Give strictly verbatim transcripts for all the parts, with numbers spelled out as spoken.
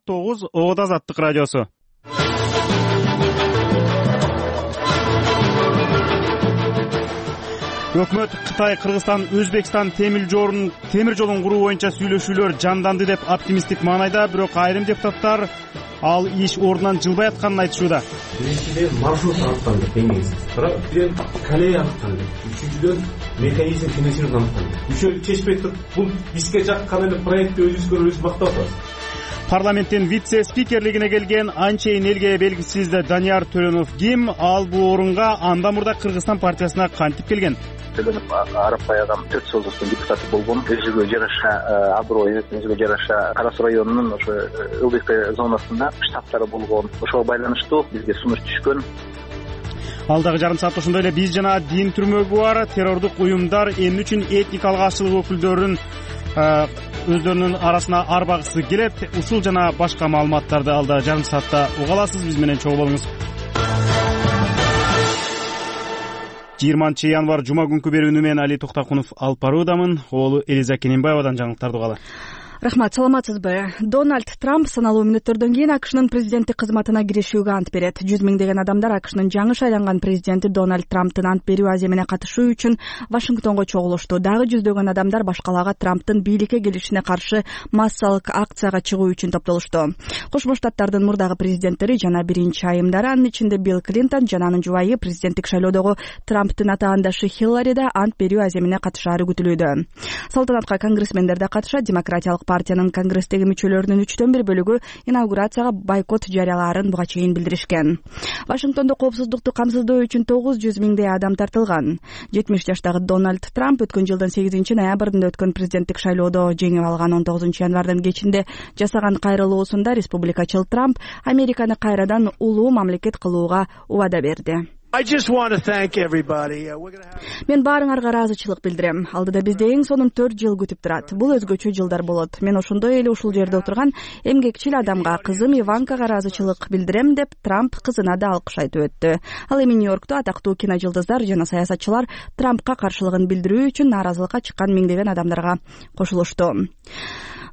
тогуз Оот Азаттык радиосу. Өкмөт Кытай, Кыргызстан, Өзбекстан темир жолун темир жолун куруу боюнча сүйлөшүүлөр жанданды деп оптимисттик маанайда, бирок айрым депутаттар ал иш ордунан жылбай атканын айтышууда. Биринчиден маршрут аныкталды, деңиз. Бирок колея аныкталды. Үчүнчүдөн механизм финансирование аныкталды. Үчөө чечпей туруп, бул бизге жаккан эле проектти өзүбүзгө өзүбүз мактап атабыз. Парламенттин вице-спикерлигине келген анчейин элге белгисиз Данияр Төлөнов ким? Ал бул орунга анда мурда Кыргызстан партиясына кантип келген? Төлөнов Арапбай агам төрт жолдуктун депутаты болгон. Өзүгө жараша аброй, өзүгө жараша Кара Суу районунун ошо ЛДП зонасында штабтары болгон. Ошого байланыштуу бизге сунуш түшкөн. Алдагы жарым саатта ошондой эле биз жана дин түрмөгү бар террордук уюмдар эмне үчүн этникалык ашчылык өкүлдөрүн өздөрүнүн арасына арбагысы келет, ушул жана башка маалыматтарды алда жарым саатта уга аласыз. Биз менен чогуу болуңуз. жыйырманчы январь жума күнкү берүүнү мен Али Токтакунов алып баруудамын. Оолу Элиза Кененбаевадан жаңылыктарды угалы. Рахмат, саламатсызбы? Дональд Трамп саналуу мүнөттөрдөн кийин АКШнын президенттик кызматына киришүүгө ант берет. Жүз миңдеген адамдар АКШнын жаңы шайланган президенти Дональд Трамптын ант берүү аземине катышуу үчүн Вашингтонго чогулушту. Дагы жүздөгөн адамдар башкаларга Трамптын бийликке келишине каршы массалык акцияга чыгуу үчүн топтолушту. Кошмо Штаттардын мурдагы президенттери жана биринчи айымдары, анын ичинде Билл Клинтон жана анын жубайы президенттик шайлоодогу Трамптын атаандашы Хиллари да ант берүү аземине катышаары күтүлүүдө. Салтанатка конгрессмендер да катышат. Демократиялык партиянын конгресстеги мүчөлөрүнүн үчтөн бир бөлүгү инаугурацияга бойкот жарыялаарын буга чейин билдиришкен. Вашингтондо коопсуздукту камсыздоо үчүн тогуз жүз миңдей адам тартылган. жетимиш жаштагы Дональд Трамп өткөн жылдын сегизинчи ноябрында өткөн президенттик шайлоодо жеңип алган. он тогузунчу январдын кечинде жасаган кайрылуусунда республикачыл Трамп Американы кайрадан улуу мамлекет кылууга убада берди. Мен баарыңарга ыраазычылык билдирем. Алдыда бизде эң сонун төрт жыл күтүп турат. Бул өзгөчө жылдар болот. Мен ошондой эле ушул жерде отурган эмгекчил адамга, кызым Иванкага ыраазычылык билдирем деп Трамп кызына да алкыш айтып өттү. Ал эми Нью-Йоркто атактуу киножулдуздар жана саясатчылар Трампка каршылыгын билдирүү үчүн нааразылыкка чыккан миңдеген адамдарга кошулушту.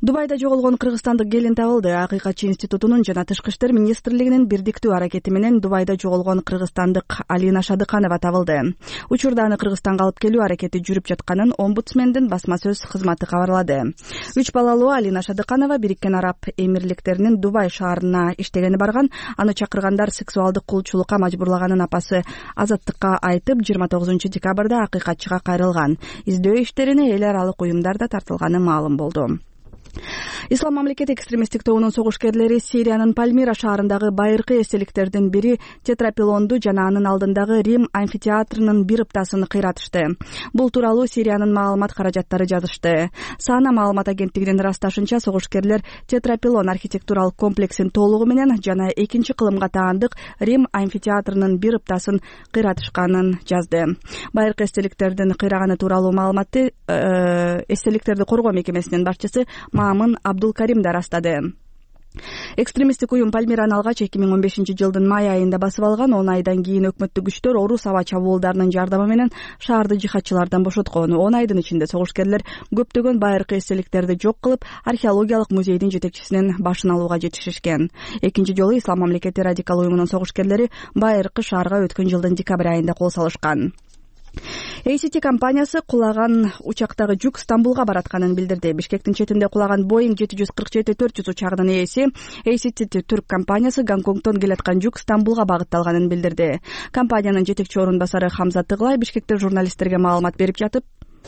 Дубайда жоголгон кыргызстандык келин табылды. Акыйкатчы институтунун жана Тышкы иштер министрлигинин бирдиктүү аракети менен Дубайда жоголгон кыргызстандык Алина Шадыканова табылды. Учурда аны Кыргызстанга алып келүү аракети жүрүп жатканын омбудсмендин басма сөз кызматы кабарлады. Үч балалуу Алина Шадыканова Бириккен Араб Эмирликтеринин Дубай шаарына иштегени барган. Аны чакыргандар сексуалдык кулчулукка мажбурлаганын апасы Азаттыкка айтып, жыйырма тогузунчу декабрда акыйкатчыга кайрылган. Издөө иштерине эл аралык уюмдар да тартылганы маалым болду. Ислам мамлекети экстремисттик тобунун согушкерлери Сириянын Пальмира шаарындагы байыркы эстеликтердин бири тетрапилонду жана анын алдындагы Рим амфитеатрынын бир ыптасын кыйратышты. Бул тууралуу Сириянын маалымат каражаттары жазышты. Сана маалымат агенттигинин ырасташынча, согушкерлер тетрапилон архитектуралык комплексин толугу менен жана экинчи кылымга таандык Рим амфитеатрынын бир ыптасын кыйратышканын жазды. Байыркы эстеликтердин кыйраганы тууралуу маалыматты эстеликтерди коргоо мекемесинин башчысы Мамын Абдулкарим да растады. Экстремисттик уюм Пальмираны алгач эки миң он бешинчи жылдын май айында басып алган. он айдан кийин өкмөттүк күчтөр орус аба чабуулдарынын жардамы менен шаарды жихадчылардан бошоткон. он айдын ичинде согушкерлер көптөгөн байыркы эстеликтерди жок кылып, археологиялык музейдин жетекчисинин башын алууга жетишишкен. Экинчи жолу Ислам мамлекети радикал уюмунун согушкерлери байыркы шаарга өткөн жылдын декабрь айында кол салышкан. эй си ти компаниясы кулаган учактагы жүк Стамбулга баратканын билдирди. Бишкектин четинде кулаган Боeing жети жүз кырк жети төрт жүз учагынын ээси эй си ти Түрк компаниясы Гонконгтон келаткан жүк Стамбулга багытталганын билдирди. Компаниянын жетекчи орун басары Хамза Тыглай Бишкекте журналисттерге маалымат берип жатып,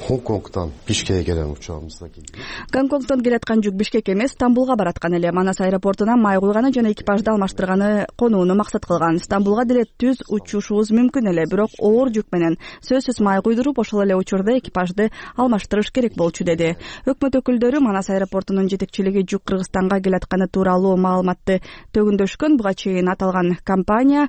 Гонконгтон Бишкекке келген учагыбызда келди. Гонконгтон келаткан жүк Бишкек эмес, Стамбулга бараткан эле. Манас аэропортуна май куйганы жана экипажды алмаштырганы конууну максат кылган. Стамбулга деле түз учушубуз мүмкүн эле, бирок оор жүк менен сөзсүз май куйдуруп, ошол эле учурда экипажды алмаштырыш керек болчу, деди. Өкмөт өкүлдөрү Манас аэропортунун жетекчилиги жүк Кыргызстанга келатканы тууралуу маалыматты төгүндөшкөн. Буга чейин аталган компания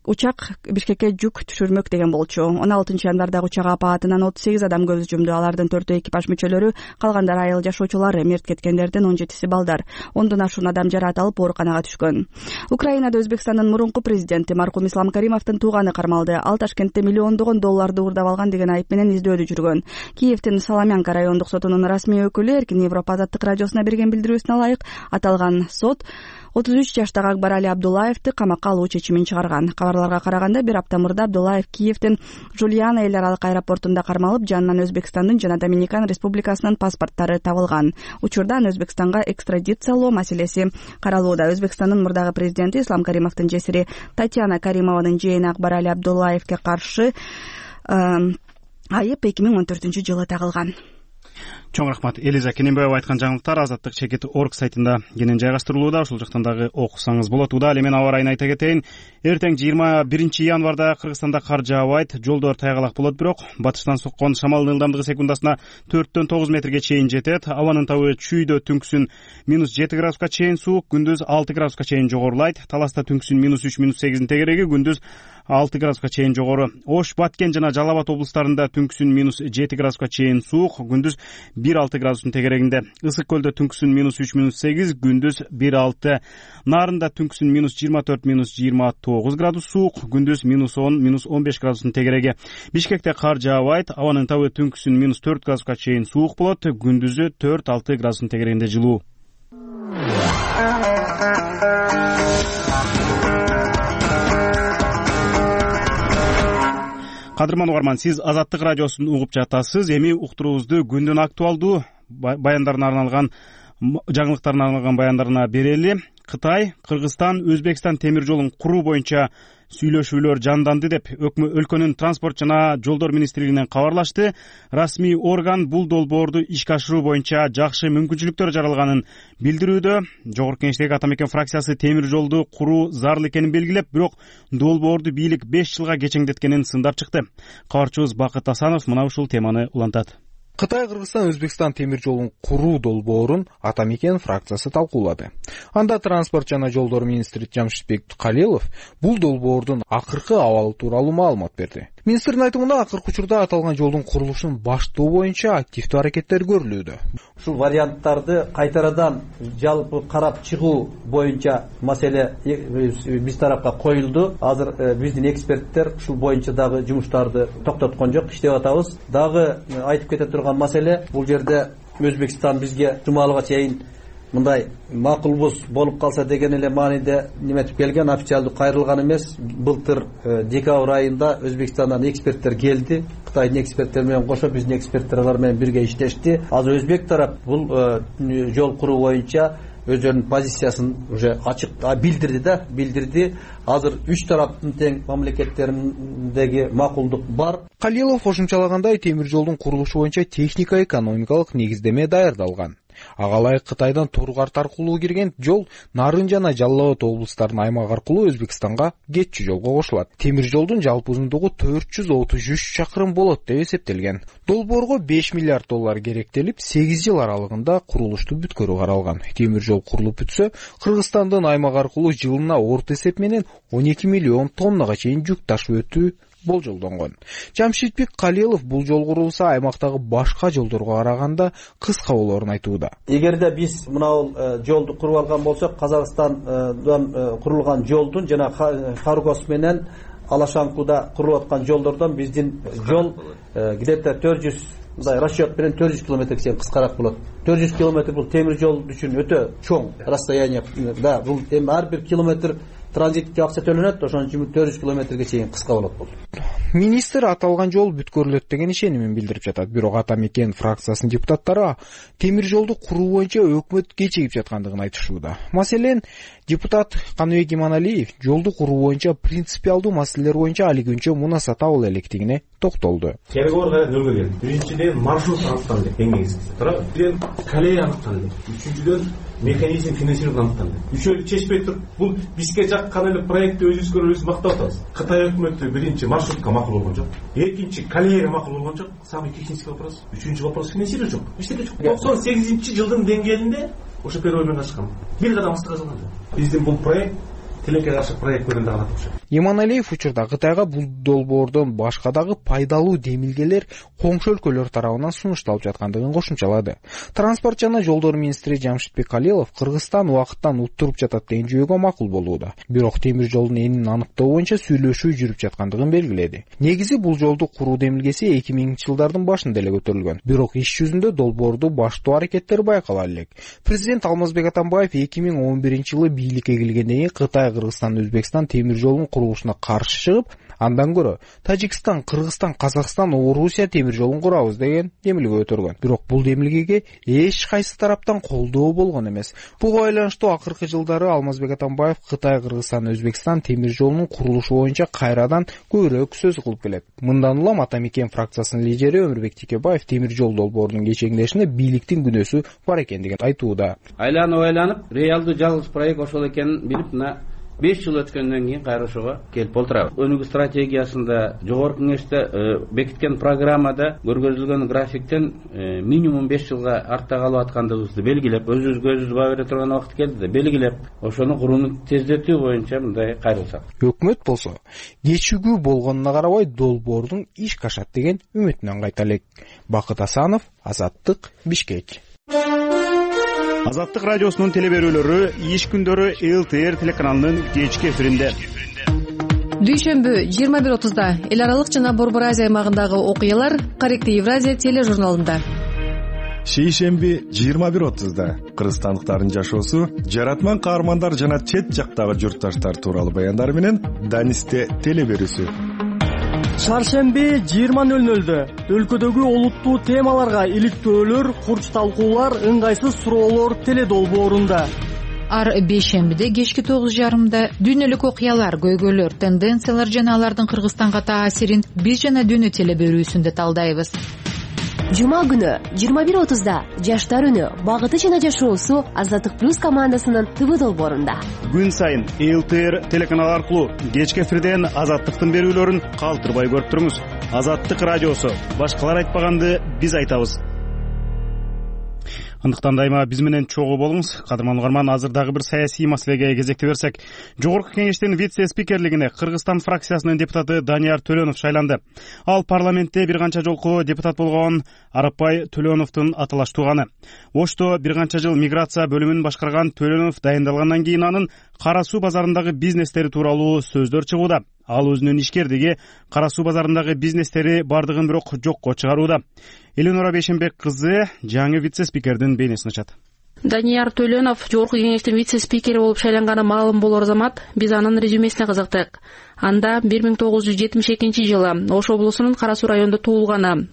учак Бишкекке жүк түшүрмөк деген болчу. он алтынчы январдагы учак апаатынан отуз сегиз адам көз жумду. Алардын төртөө экипаж мүчөлөрү, калгандары айыл жашоочулар. Мерт кеткендердин он жетиси балдар. Ондон ашуун адам жараат алып ооруканага түшкөн. Украинада Өзбекстандын мурунку президенти маркум Ислам Каримовдун тууганы кармалды. Ал Ташкентте миллиондогон долларды уурдап алган деген айып менен издөөдө жүргөн. Киевдин Соломянка райондук сотунун расмий өкүлү Эркин Европа азаттык радиосуна берген билдирүүсүнө ылайык аталган сот отуз үч жаштагы Акбарали Абдуллаевди камакка алуу чечимин чыгарган. Кабарларга караганда бир апта мурда Абдуллаев Киевдин Жульяна эл аралык аэропортунда кармалып, жанынан Өзбекстандын жана Доминикан Республикасынын паспорттары табылган. Учурда аны Өзбекстанга экстрадициялоо маселеси каралууда. Өзбекстандын мурдагы президенти Ислам Каримовдун жесири Татьяна Каримованын жээни Акбарали Абдуллаевге каршы айып эки миң он төртүнчү жылы тагылган. Чоң рахмат. Элиза Кененбаева айткан жаңылыктар азаттык чекит орг сайтында кенен жайгаштырылууда. Ошол жактан дагы окусаңыз болот. Ал эми аба ырайын айта кетейин. Эртең жыйырма биринчи январда Кыргызстанда кар жаабайт, жолдор тайгалак болот, бирок батыштан соккон шамалдын ылдамдыгы секундасына төрттөн тогуз метрге чейин жетет. Абанын табы чүйдө түнкүсүн минус жети градуска чейин суук, күндүз алты градуска чейин жогорулайт. Таласта түнкүсүн минус үч минус сегиздин тегереги, күндүз алты градуска чейин жогору. Ош, Баткен жана Жалал Абад облустарында түнкүсүн минус жети градуска чейин суук, күндүз бир алты градустун тегерегинде. Ысык көлдө түнкүсүн минус үч минус сегиз, күндүз бир алты. Нарында түнкүсүн минус жыйырма төрт минус жыйырма тогуз градус суук, күндүз минус он минус он беш градустун тегереги. Бишкекте кар жаабайт, абанын табы түнкүсүн минус төрт градуска чейин суук болот, күндүзү төрт алты градустун тегерегинде жылуу. Кадырман угарман, сиз Азаттык радиосун угуп жатасыз. Эми уктуруубузду күндүн актуалдуу баяндарына арналган, жаңылыктарына арналган баяндарына берели. Кытай, Кыргызстан, Өзбекстан темир жолун куруу боюнча сүйлөшүүлөр жанданды деп өлкөнүн транспорт жана жолдор министрлигинен кабарлашты. Расмий орган бул долбоорду ишке ашыруу боюнча жакшы мүмкүнчүлүктөр жаралганын билдирүүдө. Жогорку Кеңештеги Ата Мекен фракциясы темир жолду куруу зарыл экенин белгилеп, бирок долбоорду бийлик беш жылга кечеңдеткенин сындап чыкты. Кабарчыбыз Бакыт Асанов мына ушул теманы улантат. Кытай, Кыргызстан, Өзбекстан темир жолун куруу долбоорун Ата Мекен фракциясы талкуулады. Анда транспорт жана жолдор министри Жамшитбек Калилов бул долбоордун акыркы абалы тууралуу маалымат берди. Министрдин айтымында акыркы учурда аталган жолдун курулушун баштоо боюнча активдүү аракеттер көрүлүүдө. Ушул варианттарды кайтарадан жалпы карап чыгуу боюнча маселе биз тарапка коюлду. Азыр биздин эксперттер ушул боюнча дагы жумуштарды токтоткон жок, иштеп атабыз. Дагы айтып кете турган маселе, бул жерде Өзбекстан бизге жумалыга чейин мындай макулбуз болуп калса деген эле мааниде неметип келген, официалдуу кайрылган эмес. Былтыр декабрь айында Өзбекстандан эксперттер келди. Кытайдын эксперттери менен кошо биздин эксперттер алар менен бирге иштешти. Азыр Өзбек тарап бул жол куруу боюнча өздөрүнүн позициясын уже ачык билдирди да, билдирди. Азыр үч тараптын тең мамлекеттериндеги макулдук бар. Калилов кошумчалагандай, темир жолдун курулушу боюнча техника-экономикалык негиздеме даярдалган. Ага ылайык Кытайдан Тургарт аркылуу кирген жол Нарын жана Жалал Абад облустарынын аймагы аркылуу Өзбекстанга кетчү жолго кошулат. Темир жолдун жалпы узундугу төрт жүз отуз үч чакырым болот деп эсептелген. Долбоорго беш миллиард доллар керектелип, сегиз жыл аралыгында курулушту бүткөрүү каралган. Темир жол курулуп бүтсө, Кыргызстандын аймагы аркылуу жылына орто эсеп менен он эки миллион тоннага чейин жүк ташып өтүү болжолдонгон. Жамшитбек Калилов бул жол курулуусу аймактагы башка жолдорго караганда кыска болоорун айтууда. Эгерде биз мына жолду куруп алган болсок, Казакстандан курулган жолдун жана Харгос менен Алашанкуда курулуп аткан жолдордон биздин жол где-то төрт жүз, мындай расчет менен төрт жүз километрге чейин кыскараак болот. төрт жүз километр бул темир жол үчүн өтө чоң расстояние. Да, бул эми ар бир километр транзиттик акча төлөнөт, ошон үчүн төрт жүз километрге чейин кыска болот бул. Министр аталган жол бүткөрүлөт деген ишенимин билдирип жатат. Бирок Ата Мекен фракциясынын депутаттары темир жолду куруу боюнча өкмөт кечигип жаткандыгын айтышууда. Маселен, депутат Каныбек Иманалиев жолду куруу боюнча принципиалдуу маселелер боюнча али күнчө мунаса табыла электигине токтолду. Переговор кайра нөлгө келди. Биринчиден маршрут аныкталды, эң негизгиси. Биринчиден колея аныкталды. Үчүнчүдөн механизм финансирование аныкталды. Үчөөлү чечпей туруп, бул бизге жаккан эле проектти өзүбүзгө өзүбүз мактап атабыз. Кытай өкмөтү биринчи маршрутка макул болгон жок. Экинчи колеяга макул болгон жок. Самый технический вопрос. Үчүнчү вопрос финансирование жок. Эчтеке жок. токсон сегизинчи жылдын деңгээлинде ошо переговормен ачкан. Бир кадам астыга салган. Биздин бул проект тилекке каршы проектлерин дагы алат окшойт. Иманалиев учурда Кытайга бул долбоордон башка дагы пайдалуу демилгелер коңшу өлкөлөр тарабынан сунушталып жаткандыгын кошумчалады. Транспорт жана жолдор министри Жамшитбек Калилов Кыргызстан убакыттан уттуруп жатат деген жүйөгө макул болууда. Бирок темир жолдун энин аныктоо боюнча сүйлөшүү жүрүп жаткандыгын белгиледи. Негизи бул жолду куруу демилгеси эки миңинчи жылдардын башында эле көтөрүлгөн. Бирок иш жүзүндө долбоорду баштоо аракеттери байкала элек. Президент Алмазбек Атамбаев эки миң он биринчи жылы бийликке келгенден кийин Кытай, Кыргызстан, Өзбекстан темир жолунун курулушуна каршы чыгып, андан көрө Тажикстан, Кыргызстан, Казакстан, Орусия темир жолун курабыз деген демилге өтөргөн. Бирок бул демилгеге эч кайсы тараптан колдоо болгон эмес. Буга байланыштуу акыркы жылдары Алмазбек Атамбаев Кытай, Кыргызстан, Өзбекстан темир жолунун курулушу боюнча кайрадан көбүрөөк сөз кылып келет. Мындан улам Ата Мекен фракциясынын лидери Өмүрбек Текебаев темир жол долбоорунун кечеңдешине бийликтин күнөөсү бар экендигин айтууда. Айланып айланып реалдуу жалгыз проект ошол экенин билип, мына беш жыл өткөндөн кийин кайра ошого келип олтурабыз. Өнүгүү стратегиясында, жогорку кеңеште бекиткен программада көргөзүлгөн графиктен минимум беш жылга артта калып аткандыгыбызды белгилеп, өзүбүзгө өзүбүз баа бере турган убакыт келди да, белгилеп, ошону курууну тездетүү боюнча мындай кайрылсак. Өкмөт болсо, кечигүү болгонуна карабай долбоордун ишке ашат деген үмүтүнөн кайта элек. Бакыт Асанов, Азаттык, Бишкек. Азаттык радиосунун телеберүүлөрү иш күндөрү эл тэ эр телеканалынын кечки эфиринде. Дүйшөмбү жыйырма бир отузда эл аралык жана Борбор Азия аймагындагы окуялар Корректив Евразия тележурналында. Шейшемби жыйырма бир отузда кыргызстандыктардын жашоосу, жаратман каармандар жана чет жактагы журтташтар тууралуу баяндар менен Данисте телеберүүсү. Шаршемби жыйырма нөл нөлдө өлкөдөгү олуттуу темаларга иликтөөлөр, курч талкуулар, ыңгайсыз суроолор теледолбоорунда. Ар бейшембиде кечки тогуз жарымда дүйнөлүк окуялар, көйгөйлөр, тенденциялар жана алардын Кыргызстанга таасирин биз жана дүйнө телеберүүсүндө талдайбыз. Жума күнү жыйырма бир отузда жаштар үнү, багыты жана жашоосу Азаттык плюс командасынын ТВ долбоорунда. Күн сайын эл тэ эр телеканалы аркылуу кечки эфирден Азаттыктын берүүлөрүн калтырбай көрүп туруңуз. Азаттык радиосу, башкалар айтпаганды биз айтабыз. Андыктан дайыма биз менен чогуу болуңуз. Кадырман угарман, азыр дагы бир саясий маселеге кезекти берсек, жогорку кеңештин вице-спикерлигине Кыргызстан фракциясынын депутаты Данияр Төлөнов шайланды. Ал парламентте бир канча жолку депутат болгон Арапбай Төлөновдун аталаш тууганы. Ошто бир канча жыл миграция бөлүмүн башкарган Төлөнов дайындалгандан кийин анын Кара суу базарындагы бизнестери тууралуу сөздөр чыгууда. Ал өзүнүн ишкердиги Кара суу базарындагы бизнестери бардыгын бирок жокко чыгарууда. Эленора Бейшембек кызы жаңы вице-спикердин бейнесин ачат. Данияр Төлөнов жогорку кеңештин вице-спикери болуп шайланганы маалым болор замат биз анын резюмесине кызыктык. Анда бир миң тогуз жүз жетимиш экинчи жылы Ош облусунун Кара суу районунда туулганы.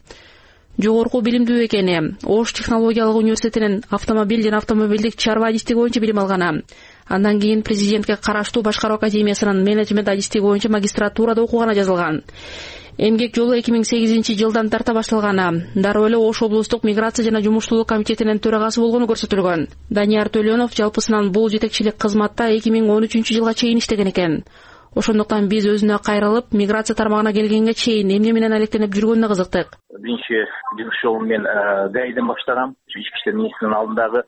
Жогорку билимдүү экени, Ош технологиялык университетинин автомобиль жана автомобилдик чарба адистиги боюнча билим алганы. Андан кийин президентке караштуу Башкаруу академиясынын менеджмент адистиги боюнча магистратурада окуганы жазылган. Эмгек жолу эки миң сегизинчи жылдан тарта башталганы. Дароо эле Ош облустук миграция жана жумуштуулук комитетинин төрагасы болгону көрсөтүлгөн. Данияр Төлөнов жалпысынан бул жетекчилик кызматта эки миң он үчүнчү жылга чейин иштеген экен. Ошондуктан биз өзүнө кайрылып, миграция тармагына келгенге чейин эмне менен алектенип жүргөнүнө кызыктык. Биринчи жумуш жолун мен ГАИден баштагам. Ички иштер министринин алдындагы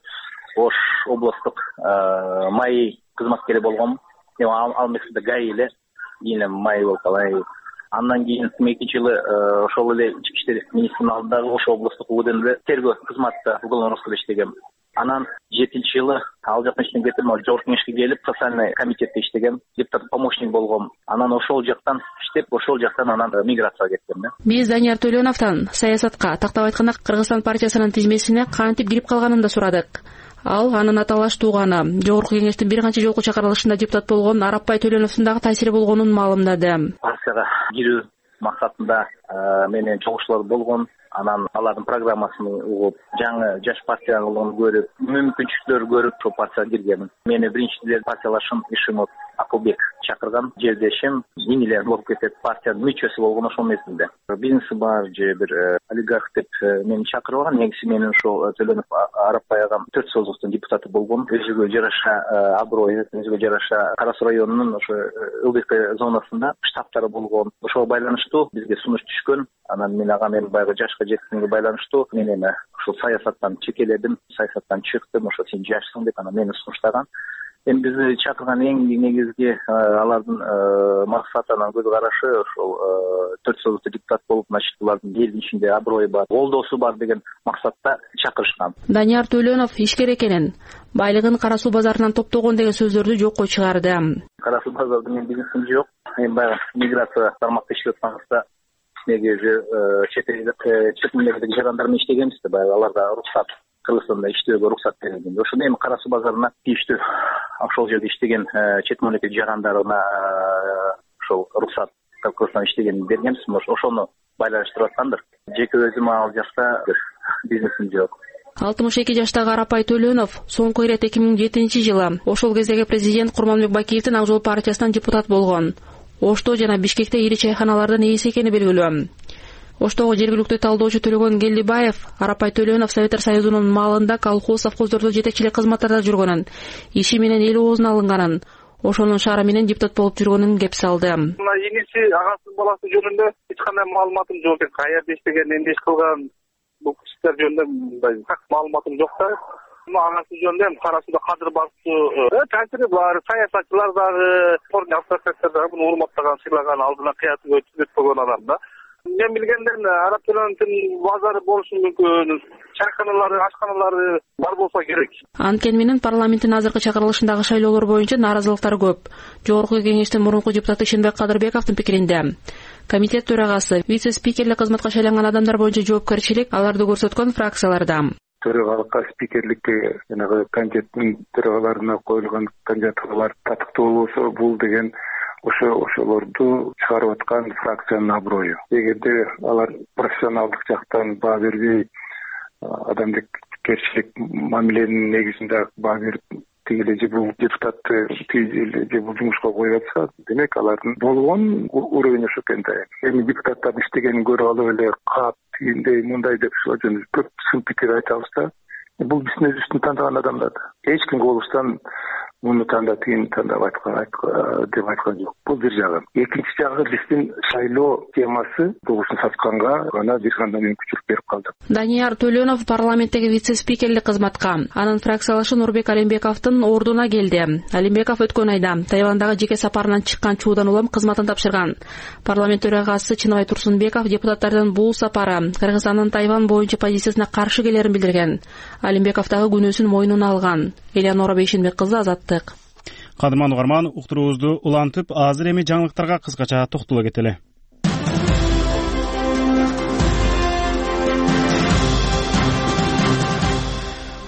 Ош облустук май кызматкери болгом. Ал мезгилде ГАИ эле, кийин май болуп калай. Андан кийин экинчи жылы ошол эле ички иштер министринин алдындагы Ош облустук УГДнде эле тергөө кызматта уголовный розыскта иштегем. Анан жетинчи жылы ал жактан иштен кетип, жогорку кеңешке келип, социальный комитетте иштегем, депутат помощник болгом. Анан ошол жактан иштеп, ошол жактан анан миграцияга кеттим да. Биз Данияр Төлөновдон саясатка, тактап айтканда Кыргызстан партиясынын тизмесине кантип кирип калганын да сурадык. Ал анын аталаш тууганы, жогорку кеңештин бир канча жолку чакырылышында депутат болгон Арапбай Төлөновдун дагы таасири болгонун маалымдады. Партияга кирүү максатында менен чогулуштар болгон. Анан алардын программасын угуп, жаңы жаш партияларын көрүп, мүмкүнчүлүктөр көрүп, ошол партияга киргенмин. Мени биринчиден партиялашым Ишимов Акылбек чакырган, жердешим, иңилер болуп кетет, партиянын мүчөсү болгон ошол мезгилде. Бизнеси бар же бир олигарх деп мени чакырып алган. Негизи менин ошол Төлөнов Арапбай агам төрт созуктун депутаты болгон. Өзүгө жараша аброй, өзүгө жараша Кара суу районунун ошо ЛДП зонасында штабтары болгон. Ошого байланыштуу бизге сунуш түшкөн. Анан мен ага мен баягы жашка жеткенге байланыштуу мен эми ушул саясаттан чекеледим, саясаттан чыктым, ошо сен жашсың деп анан мени сунуштаган. эми бизди чакырган эң негизги алардын максатынан көз карашы ошол төрт союздуу депутат болуп, значит, булардын элдин ичинде аброю бар, колдоосу бар деген максатта чакырышкан. Данияр Төлөнов ишкер экенин, байлыгын кара суу базарынан топтогон деген сөздөрдү жокко чыгарды. Кара суу базарда менин бизнесим жок. Эми баягы миграция тармакта иштеп атканыбызда негизи чет чет мемлекеттеги жарандар менен иштегенбиз да, баягы аларга уруксат, Кыргызстанда иштөөгө уруксат берилген. Ошондо эми кара суу базарына тийиштүү ошол жерде иштеген чет мемлекет жарандарына ошол уруксат Кыргызстанда иштегенин бергенбиз. Ошону байланыштырып аткандыр. Жеке өзүм ал жакта бизнесим жок. алтымыш эки жаштагы Арапай Төлөнов соңку ирет эки миң жетинчи жылы ошол кездеги президент Курманбек Бакиевдин Ак Жол партиясынан депутат болгон. Ошто жана Бишкекте ири чайханалардын ээси экени белгилүү. Оштогу жергиликтүү талдоочу Төлөгөн Келдибаев Арапай Төлөнов Советтер Союзунун малында колхоз, совхоздордо жетекчилик кызматтарда жүргөнүн, иши менен эл оозуна алынганын, ошонун шаары менен депутат болуп жүргөнүн кеп салды. Мына иниси агасынын баласы жөнүндө эч кандай маалыматым жок экен. Каерде иштеген, эмне иш кылган, бул кишилер жөнүндө мындай маалыматым жок да. Агасы жөнүндө эми кара сууда кадыр басуу таасири бар, саясатчылар дагы, ордун автократдар дагы буну урматтаган, сыйлаган, алдына кыятыгы өткөргөн адам да. Мен билгенден Арап Төлөнөвдүн базары болушу мүмкүн, чайканалары, ашканалары бар болсо керек. Анткени менен парламенттин азыркы чакырылышындагы шайлоолор боюнча нааразылыктар көп. Жогорку кеңештин мурунку депутаты Ишенбек Кадырбековдун пикиринде, комитет төрагасы, вице-спикерлик кызматка шайланган адамдар боюнча жоопкерчилик аларды көрсөткөн фракцияларда. Төрагалыкка, спикерликке, жанагы комитеттин төрагаларына коюлган кандидатуралар татыктуу болбосо, бул деген ошо ошолорду чыгарып аткан фракциянын аброю. Эгерде алар профессионалдык жактан баа бербей, адамгерчилик мамиленин негизинде баа берип, тигиле же бул депутатты тигиле же бул жумушка коюп атса, демек алардын болгон уровень ошо экен да. Эми депутаттардын иштегенин көрүп алып эле кат тигиндей мындай деп ошол жөнүндө көп сын пикир айтабыз да. Бул биздин өзүбүздүн тандаган адамдар. Эч ким болуштан муну танда тигин тандап айткан деп айткан жок. Бул бир жагы. Экинчи жагы биздин шайлоо темасы добушун сатканга гана бир кандай мүмкүнчүлүк берип калды. Данияр Төлөнов парламенттеги вице-спикерлик кызматка, анын фракциялашы Нурбек Алимбековдун ордуна келди. Алимбеков өткөн айда Тайвандагы жеке сапарынан чыккан чуудан улам кызматын тапшырган. Парламент төрагасы Чыныбай Турсунбеков депутаттардын бул сапары Кыргызстандын Тайвань боюнча позициясына каршы келерин билдирген. Алимбеков дагы күнөөсүн мойнуна алган. Элеонора Бейшенбек кызы, Азаттык. Кадырман угарман, уктуруубузду улантып, азыр эми жаңылыктарга кыскача токтоло кетели.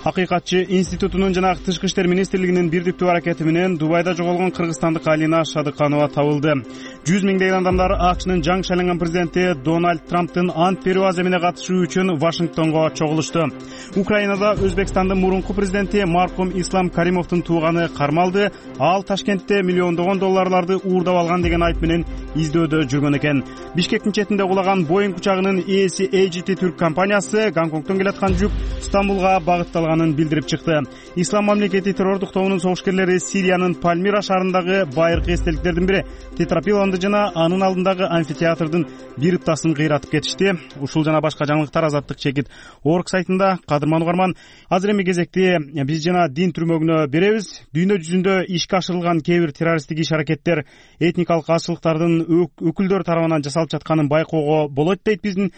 Акыйкатчы институтунун жана Тышкы иштер министрлигинин бирдиктүү аракети менен Дубайда жоголгон кыргызстандык Алина Шадыканова табылды. жүз миңдеген адамдар АКШнын жаңы шайланган президенти Дональд Трамптын ант берүү аземине катышуу үчүн Вашингтонго чогулушту. Украинада Өзбекстандын мурунку президенти маркум Ислам Каримовдун тууганы кармалды. Ал Ташкентте миллиондогон долларларды уурдап алган деген айып менен издөөдө жүргөн экен. Бишкектин четинде кулаган Боинг учагынын ээси эй джи ти Түрк компаниясы Гонконгдон келаткан жүк Стамбулга багытталганын билдирип чыкты. Ислам мамлекети террордук тобунун согушкерлери Сириянын Пальмира шаарындагы байыркы эстеликтердин бири тетрапилонду жана анын алдындагы амфитеатрдын бир ыптасын кыйратып кетишти. Ушул жана башка жаңылыктар Азаттык чекит орг сайтында. Кадырман угарман, азыр эми кезекти биз жана дин түрмөгүнө беребиз. Дүйнө жүзүндө ишке ашырылган кээ бир террористтик иш-аракеттер этникалык азчылыктардын өкүлдөр тарабынан жасалып жатканын байкоого болот дейт биздин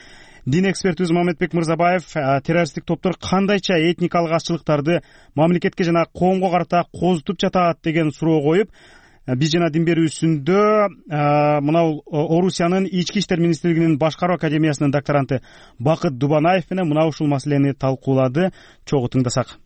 дин экспертибиз Мамедбек Мырзабаев. Террористтик топтор кандайча этникалык азчылыктарды мамлекетке жана коомго карата козутуп жатат деген суроо коюп, биз жана дин берүүсүндө мына Орусиянын ички иштер министрлигинин башкаруу академиясынын докторанты Бакыт Дубанаев менен мына ушул маселени талкуулады. Чогуу тыңдасак.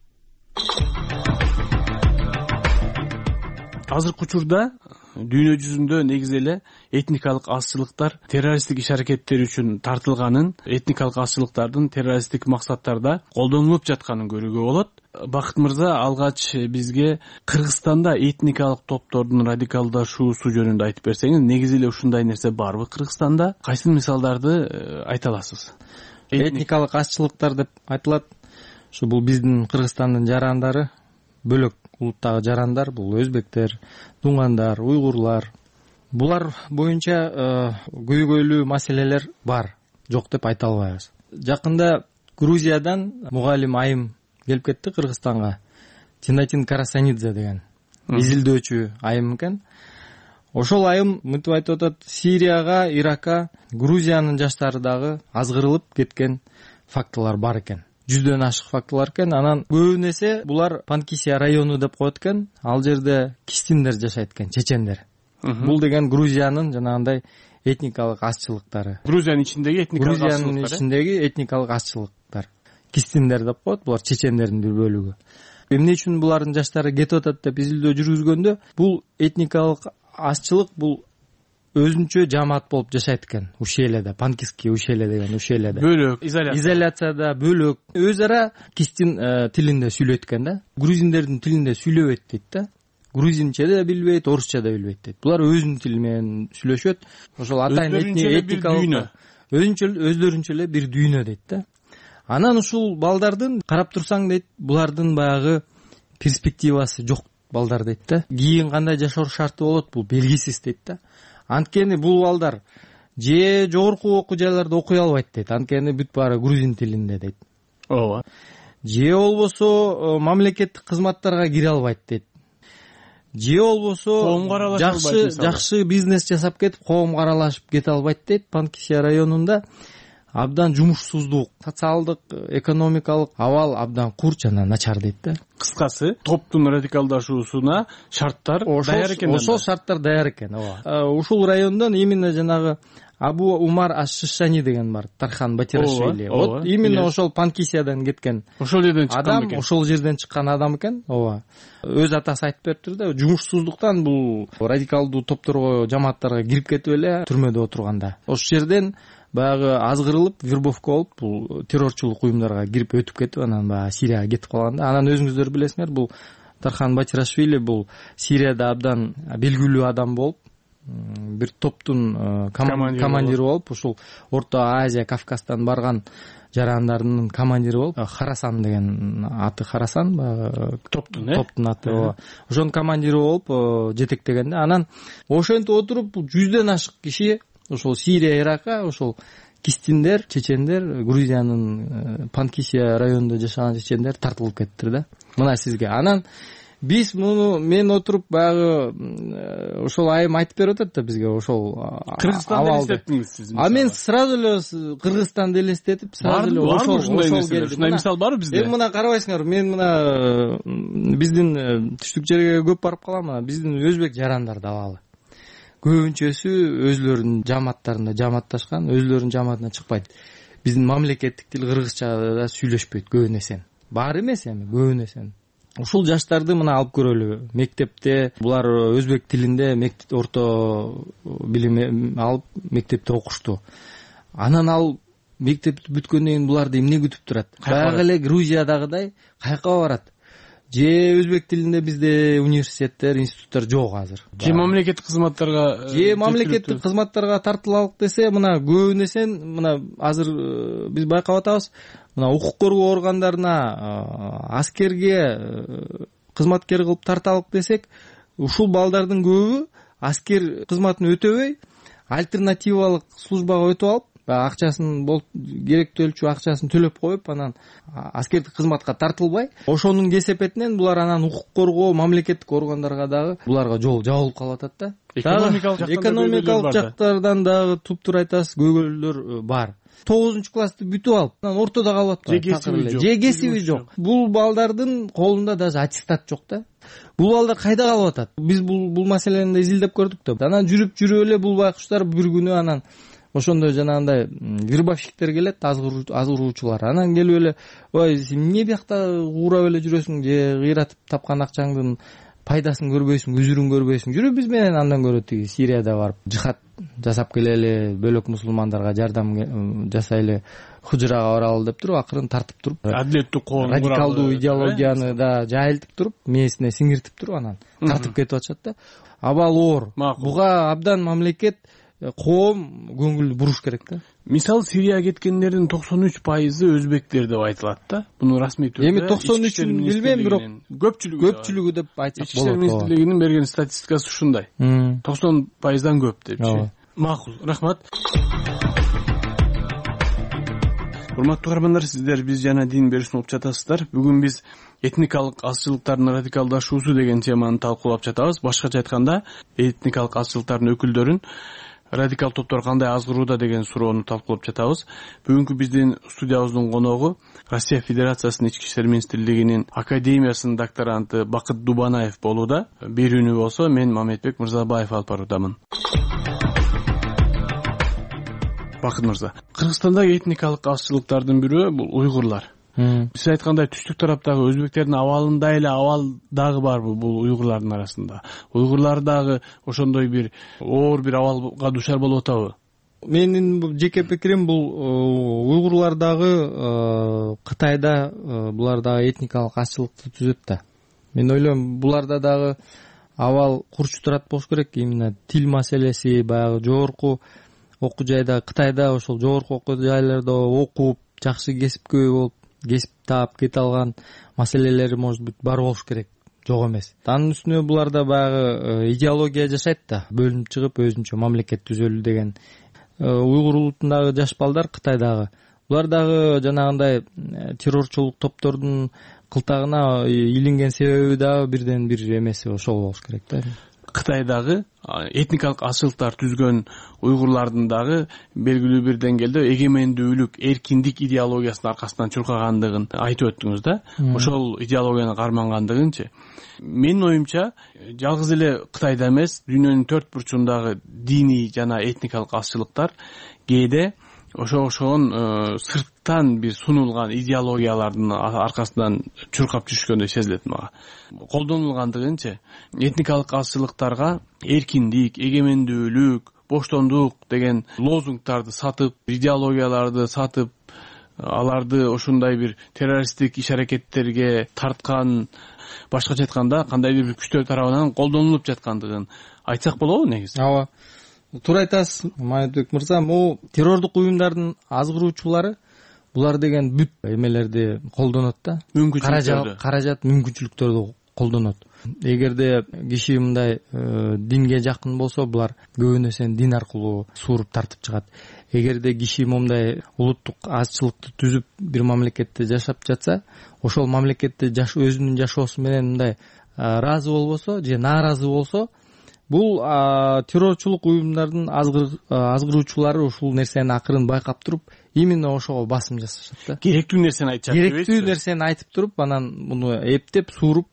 Азыркы учурда дүйнө жүзүндө негизи эле этникалык азчылыктар террористтик иш-аракеттер үчүн тартылганын, этникалык азчылыктардын террористтик максаттарда колдонулуп жатканын көрүүгө болот. Бакыт мырза алгач бизге Кыргызстанда этникалык топтордун радикалдашуусу жөнүндө айтып берсеңиз, негизи эле ушундай нерсе барбы Кыргызстанда? Кайсы мисалдарды айта аласыз? Этникалык азчылыктар деп айтылат. Ушу бул биздин Кыргызстандын жарандары, бөлөк улуттагы жарандар, бул өзбектер, дуңгандар, уйгурлар. Булар боюнча көйгөйлүү маселелер бар, жок деп айта албайбыз. Жакында Грузиядан мугалим айым келип кетти Кыргызстанга. Тинатин Карасанидзе деген. изилдөөчү айым экен. Ошол айым мынтип айтып атат: Сирияга, Иракка, Грузиянын жаштары дагы азгырылып кеткен фактылар бар экен. Жүздөн ашык фактылар экен. Анан көбүн эсе булар Панкисия району деп коет экен. Ал жерде кистиндер жашайт экен, чечендер. Бул деген Грузиянын жанагындай этникалык азчылыктары. Грузиянын ичиндеги этникалык азчылыктар. Грузиянын ичиндеги этникалык азчылыктар. Кистиндер деп коет. Булар чечендердин бир бөлүгү. Эмне үчүн булардын жаштары кетип атат деп изилдөө жүргүзгөндө, бул этникалык азчылык бул өзүнчө жамаат болуп жашайт экен ушеледе, панкисский ушеле деген ушеледе. Бөлөк, изоляция. Изоляцияда бөлөк. Өз ара кистин тилинде сүйлөйт экен да. Грузиндердин тилинде сүйлөбөйт дейт да. Грузинче да билбейт, орусча да билбейт дейт. Булар өзүнүн тили менен сүйлөшөт. Ошол атайын этникалык өзүнчө өздөрүнчө эле бир дүйнө дейт да. Анан ушул балдардын карап турсаң дейт, булардын баягы перспективасы жок балдар дейт да. Кийин кандай жашоо шарты болот бул белгисиз дейт да. Анткени бул балдар же жогорку окуу жайларда окуй албайт дейт. Анткени бүт баары грузин тилинде дейт. Ооба. Же болбосо мамлекеттик кызматтарга кире албайт дейт. Же болбосо жакшы жакшы бизнес жасап кетип, коомго аралашып кете албайт дейт. Панкисия районунда абдан жумушсуздук, социалдык, экономикалык абал абдан курч жана начар дейт да. Кыскасы, топтун радикалдашуусуна шарттар даяр экен. Ошол шарттар даяр экен, ооба. Ушул райондон именно жанагы Абу Умар Аш-Шишани деген бар, Тархан Батирашвили. Вот именно ошол Панкисиядан кеткен. Ошол жерден чыккан экен. Ошол жерден чыккан адам экен, ооба. Өз атасы айтып бериптир да, жумушсуздуктан бул радикалдуу топторго, жамааттарга кирип кетип эле түрмөдө отурганда. Ошол жерден баягы азгырылып, вербовка болуп, бул террорчулук уюмдарга кирип өтүп кетип, анан баягы Сирияга кетип калганда. Анан өзүңүздөр билесиңер, бул Тархан Батирашвили бул Сирияда абдан белгилүү адам болуп, бир топтун командири болуп, ушул Орто Азия, Кавказдан барган жарандардын командири болуп, Харасан деген аты, Харасан баягы топтун э топтун аты. Ошонун командири болуп жетектеген да. Анан ошентип отуруп жүздөн ашык киши ошол Сирия, Иракка, ошол кистиндер, чечендер, Грузиянын Панкисия районунда жашаган чечендер тартылып кеттир да. Мына сизге. Анан биз муну мен отуруп баягы ошол айым айтып берип атат да бизге ошол Кыргызстанды элестеттиңиз сиз. А мен сразу эле Кыргызстанды элестетип, сразу эле ошол ошол келди. Ушундай мисал барбы бизде? Эми мына карабайсыңар, мен мына биздин түштүк жерге көп барып калам, мына биздин өзбек жарандарды алалы. Көбүнчөсү өзлөрүнүн жамааттарында жамаатташкан, өзлөрүнүн жамаатына чыкпайт. Биздин мамлекеттик тил кыргызчада сүйлөшпөйт көбүн эсен. Бар эмес эми, көбүн эсен. Ушул жаштарды мына алып көрөлү. Мектепте булар өзбек тилинде мектеп орто билим алып мектепте окушту. Анан ал мектепти бүткөндөн кийин буларды эмне күтүп турат? Баягы эле Грузиядагыдай кайка барат? Же өзбек тилинде бизде университеттер, институттар жок азыр. Же мамлекеттик кызматтарга же мамлекеттик кызматтарга тартылалык десе, мына көбүн эсен мына азыр биз байкап атабыз. Мына укук коргоо органдарына, аскерге кызматкер кылып тарталык десек, ушул балдардын көбү аскер кызматын өтөбөй, альтернативалык службага өтүп алып, акчасын болуп керектүүлчү акчасын төлөп коюп, анан аскердик кызматка тартылбай, ошонун кесепетинен булар анан укук коргоо мамлекеттик органдарга дагы буларга жол жабылып калып атат да. Экономикалык жактардан дагы туптур айтасыз, көйгөйлөр бар. тогузунчу классты бүтүп алып, анан ортодо калып атат. Же кесиби жок. Бул балдардын колунда даже аттестат жок да. Бул балдар кайда калып атат? Биз бул бул маселени изилдеп көрдүк да. Анан жүрүп жүрүп эле бул байкуштар бир күнү анан ошондой жанагындай вербовщиктер келет, азгыруучулар. Анан келип эле, ой, сен эмне биякта куурап эле жүрөсүң, же кыйратып тапкан акчаңдын пайдасын көрбөйсүң, үзүрүн көрбөйсүң. Жүрүп биз менен андан көрө тиги Сирияда барып жихад жасап келели, бөлөк мусулмандарга жардам жасайлы, Худжрага баралы деп туруп, акырын тартып туруп, адилеттүү коом радикалдуу идеологияны да жайылтып туруп, мээсине сиңиртип туруп, анан тартып кетип атышат да. Абал оор. Буга абдан мамлекет, коом көңүл буруш керек да. Мисалы Сирияга кеткендердин токсон үч пайызы өзбектер деп айтылат да. Буну расмий түрдө эми токсон үчүн билбейм, бирок көпчүлүгү көпчүлүгү деп айтсак болот. Ички министрлигинин берген статистикасы ушундай. токсон пайыздан көп депчи. Макул, рахмат. урматтуу каармандар, сиздер биз жана дин берүүсүн угуп жатасыздар. Бүгүн биз этникалык азчылыктардын радикалдашуусу деген теманы талкуулап жатабыз. Башкача айтканда, этникалык азчылыктардын өкүлдөрүн радикал топтор кандай азгырууда деген суроону талкуулап жатабыз. Бүгүнкү биздин студиябыздын коногу Россия Федерациясынын ички иштер министрлигинин академиясынын докторанты Бакыт Дубанаев болууда. Берүүнү болсо мен Мамедбек Мырзабаев алып баруудамын. Бакыт мырза, Кыргызстандагы этникалык азчылыктардын бирөө бул уйгурлар. Сиз айткандай түштүк тараптагы өзбектердин абалындай эле абал дагы барбы бул уйгурлардын арасында? Уйгурлар дагы ошондой бир оор бир абалга дуушар болуп атабы? Менин жеке пикирим бул уйгурлар дагы Кытайда булар дагы этникалык азчылыкты түзөт да. Мен ойлойм, буларда дагы абал курч турат болуш керек. Именно тил маселеси, баягы жогорку окуу жайда, Кытайда ошол жогорку окуу жайларда окуп, жакшы кесипкөй болуп, кесип таап кете алган маселелери может быть бар болуш керек, жок эмес. Анын үстүнө буларда баягы идеология жашайт да, бөлүнүп чыгып өзүнчө мамлекет түзөлүү деген. Уйгур улутундагы жаш балдар Кытайдагы, булар дагы жанагындай террорчулук топтордун кылтагына илинген себеби дагы бирден бир эмеси ошол болуш керек да. Кытайдагы этникалык азчылыктар түзгөн уйгурлардын дагы белгилүү бир деңгээлде эгемендүүлүк, эркиндик идеологиясынын аркасынан чуркагандыгын айтып өттүңүз да. Ошол идеологияны кармангандыгынчы. Менин оюмча, жалгыз эле Кытайда эмес, дүйнөнүн төрт бурчундагы диний жана этникалык азчылыктар кээде ошо ошон сырттан бир сунулган идеологиялардын аркасынан чуркап жүрүшкөндөй сезилет мага. Колдонулгандыгынчы этникалык азчылыктарга эркиндик, эгемендүүлүк, боштондук деген лозунгдарды сатып, идеологияларды сатып, аларды ошондой бир террористтик иш-аракеттерге тарткан, башкача айтканда кандайдыр бир күчтөр тарабынан колдонулуп жаткандыгын айтсак болобу негизи? Ооба. Туура айтасыз, Мамедбек мырза. Могу террордук уюмдардын азгыруучулары булар деген бүт эмелерди колдонот да. Мүмкүнчүлүктөрдү. Каражат, мүмкүнчүлүктөрдү колдонот. Эгерде киши мындай динге жакын болсо, булар көбүнө сен дин аркылуу сууруп тартып чыгат. Эгерде киши момундай улуттук азчылыкты түзүп бир мамлекетте жашап жатса, ошол мамлекетте жаш өзүнүн жашоосу менен мындай ыраазы болбосо же нааразы болсо, бул террорчулук уюмдардын азгыруучулары ушул нерсени акырын байкап туруп, именно ошого басым жасашат да. Керектүү нерсени айтышат. Керектүү нерсени айтып туруп, анан муну эптеп, сууруп,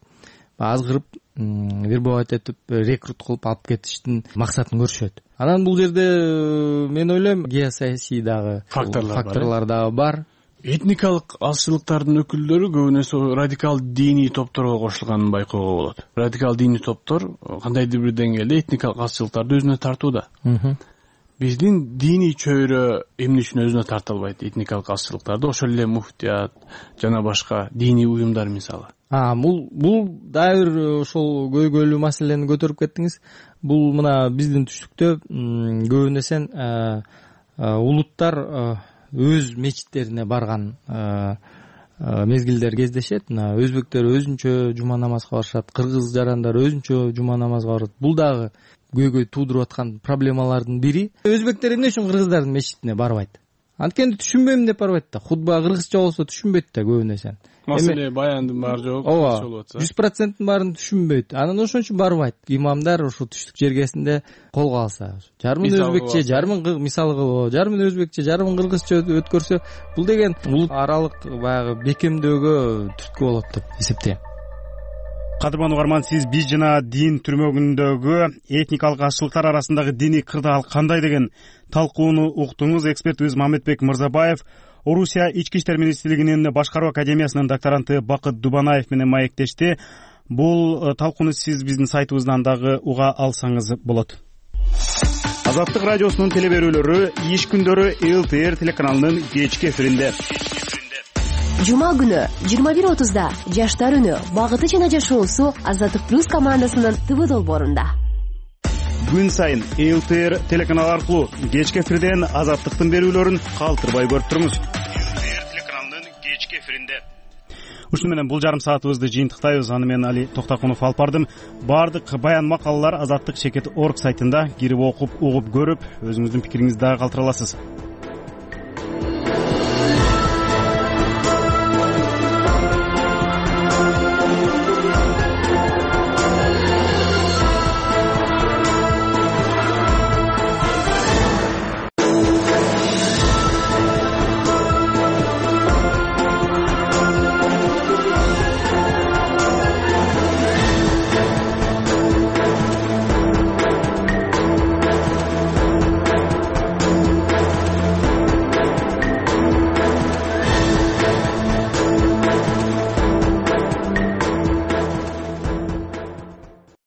азгырып, вербовать этип, рекрут кылып алып кетиштин максатын көрүшөт. Анан бул жерде мен ойлойм, геосаясий дагы факторлор дагы бар. Этникалык азчылыктардын өкүлдөрү көбүнесе радикал диний топторго кошулганын байкоого болот. Радикал диний топтор кандайдыр бир деңгээлде этникалык азчылыктарды өзүнө тартууда. Биздин диний чөйрө эмне үчүн өзүнө тарта албайт этникалык азчылыктарды? Ошол эле муфтият жана башка диний уюмдар мисалы. А, бул бул дагы бир ошол көйгөйлүү маселени көтөрүп кеттиңиз. Бул мына биздин түштүктө көбүнесе улуттар өз мечиттерине барган мезгилдер кездешет. Мына өзбектер өзүнчө жума намазга барышат, кыргыз жарандар өзүнчө жума намазга барат. Бул дагы көйгөй туудуруп аткан проблемалардын бири. Өзбектер эмне үчүн кыргыздардын мечитине барбайт? Анткени түшүнбөйм деп барбайт да. Хутба кыргызча болсо түшүнбөйт да көбүнесе. Маселе баяндын баары жок. Ооба, жүз проценттин баарын түшүнбөйт. Анан ошон үчүн барбайт. Имамдар ошо түштүк жергесинде колго алса, жарымын өзбекче, жарымын мисалы кылып, жарымын өзбекче, жарымын кыргызча өткөрсө, бул деген улут аралык баягы бекемдөөгө түрткү болот деп эсептейм. Кадырман угарман, сиз биз жана дин түрмөгүндөгү этникалык азчылыктар арасындагы диний кырдаал кандай деген талкууну уктуңуз. Экспертибиз Мамедбек Мырзабаев Орусия ички иштер министрлигинин башкаруу академиясынын докторанты Бакыт Дубанаев менен маектешти. Бул талкууну сиз биздин сайтыбыздан дагы уга алсаңыз болот. Азаттык радиосунун телеберүүлөрү иш күндөрү эл тэ эр телеканалынын кечки эфиринде. Жума күнү жыйырма бир отузда жаштар үнү багыты жана жашоосу Азаттык плюс командасынын ТВ долбоорунда. Күн сайын эл тэ эр телеканалы аркылуу кечки эфирден Азаттыктын берүүлөрүн калтырбай көрүп туруңуз. эл тэ эр телеканалынын кечки эфиринде. Ушуну менен бул жарым саатыбызды жыйынтыктайбыз. Аны мен Али Токтакунов алып бардым. Баардык баян макалалар азаттык чекит точка орг сайтында кирип окуп, угуп көрүп, өзүңүздүн пикириңизди дагы калтыра аласыз.